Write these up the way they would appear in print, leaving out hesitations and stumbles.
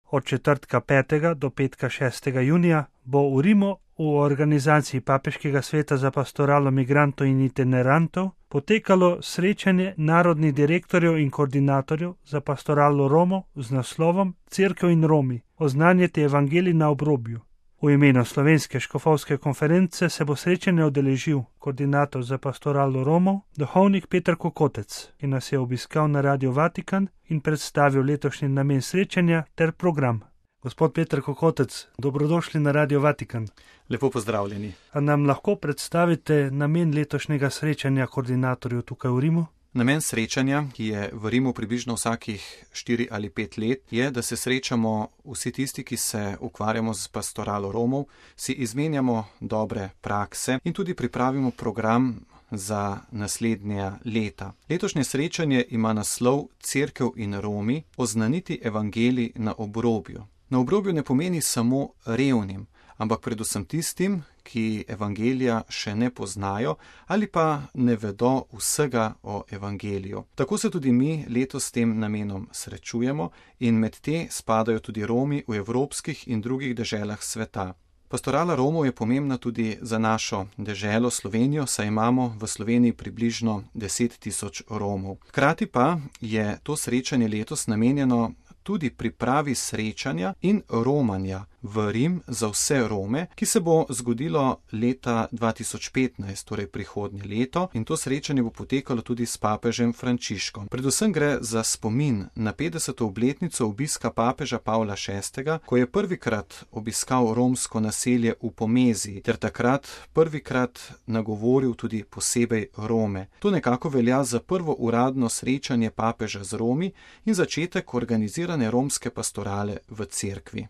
Od četrtka 5. do petka 6. junija bo v Rimu v organizaciji Papeškega sveta za pastoralo migrantov in itinerantov potekalo srečanje narodnih direktorjev in koordinatorjev za pastoralo Romov z naslovom Cerkev in Romi, oznanjati evangelij na obrobju. V imenu Slovenske škofovske konference se bo srečanje udeležil koordinator za pastoralo Romov, duhovnik Peter Kokotec, ki nas je obiskal na Radio Vatikan in predstavil letošnji namen srečanja ter program. Gospod Peter Kokotec, dobrodošli na Radio Vatikan. Lepo pozdravljeni. A nam lahko predstavite namen letošnjega srečanja koordinatorjev tukaj v Rimu? Namen srečanja, ki je v Rimu približno vsakih 4 ali 5 let, je, da se srečamo vsi tisti, ki se ukvarjamo z pastoralo Romov, si izmenjamo dobre prakse in tudi pripravimo program za naslednja leta. Letošnje srečanje ima naslov Cerkev in Romi, oznaniti evangelij na obrobju. Na obrobju ne pomeni samo revnim, ampak predvsem tistim, ki evangelija še ne poznajo ali pa ne vedo vsega o evangeliju. Tako se tudi mi letos s tem namenom srečujemo in med te spadajo tudi Romi v evropskih in drugih deželah sveta. Pastorala Romov je pomembna tudi za našo deželo Slovenijo, saj imamo v Sloveniji približno 10.000 Romov. Hkrati pa je to srečanje letos namenjeno tudi pripravi srečanja in romanja v Rim za vse Rome, ki se bo zgodilo leta 2015, torej prihodnje leto, in to srečanje bo potekalo tudi s papežem Frančiškom. Predvsem gre za spomin na 50. obletnico obiska papeža Pavla VI., ko je prvikrat obiskal romsko naselje v Pomeziji, ter takrat prvikrat nagovoril tudi posebej Rome. To nekako velja za prvo uradno srečanje papeža z Romi in začetek organizirane romske pastorale v cerkvi.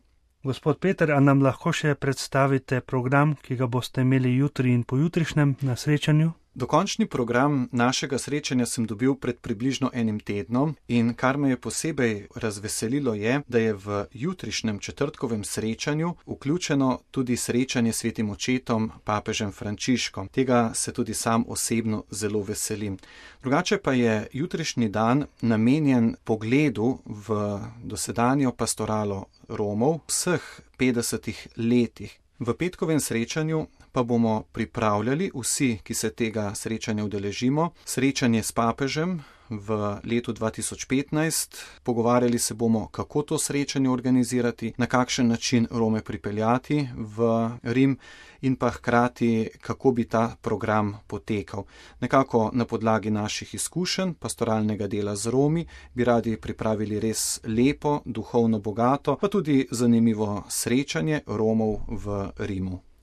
Gospod Peter, a nam lahko še predstavite program, ki ga boste imeli jutri in pojutrišnjem na srečanju? Dokončni program našega srečanja sem dobil pred približno 1 tednom in kar me je posebej razveselilo je, da je v jutrišnjem četrtkovem srečanju vključeno tudi srečanje s svetim očetom papežem Frančiškom. Tega se tudi sam osebno zelo veselim. Drugače pa je jutrišnji dan namenjen pogledu v dosedanjo pastoralo Romov vseh 50 letih. V petkovem srečanju pa bomo pripravljali vsi, ki se tega srečanja udeležimo, srečanje s papežem v letu 2015. Pogovarjali se bomo, kako to srečanje organizirati, na kakšen način Rome pripeljati v Rim in pa hkrati, kako bi ta program potekal. Nekako na podlagi naših izkušenj pastoralnega dela z Romi bi radi pripravili res lepo, duhovno bogato, pa tudi zanimivo srečanje Romov v Rimu.